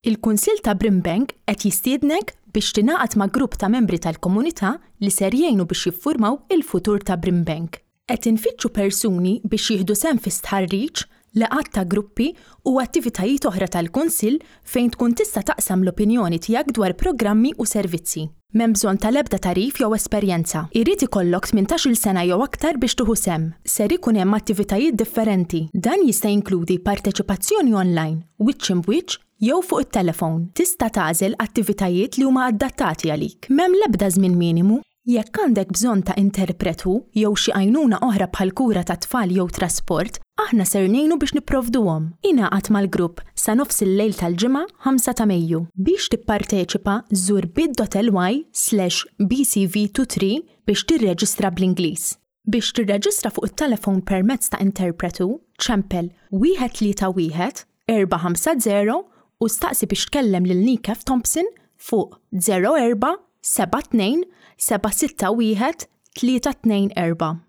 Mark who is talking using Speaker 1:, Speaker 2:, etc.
Speaker 1: Il-Kunsill ta' Brimbank qed jistiednek biex tingħaqad ma' grupp ta' membri tal-komunità li ser jgħinu biex jiffurmaw il-futur ta' Brimbank. Qed infittxu persuni biex jieħdu sehem fi stħarriġ, laqgħat ta' gruppi u attivitajiet oħra tal-Kunsill fejn tkun tista' taqsam l-opinjoni tiegħek dwar programmi u servizzi. M'hemm bżonn tal-ebda tagħrif jew esperjenza. Irid ikollok 18-il sena jew aktar biex tieħu sehem. Ser ikun hemm attivitajiet differenti. Dan jista' jinkludi parteċipazzjoni online, wiċċ imb'wiċċ jew fuq it-telefon. Tista' tagħżel attivitajiet li huma adattati għalik. M'hemm l-ebda żmien minimu. Jekk għandek bżonn ta' interpretu jew xi għajnuna oħra bħal kura tat-tfal jew trasport, aħna ser ngħinu biex nipprovduhom. Ingħaqad mal-grupp sa nofs il-lejl tal-Ġimgħa 5 ta' Mejju. Biex tipparteċipa żur bit.ly/bcv23 biex tirreġistra bl-Ingliż. Biex tirreġistra fuq it-telefon permezz ta' interpretu, ċempel 131 450 u staqsi biex tkellem lil Nick F. Thompson fuq 04 72 761 324.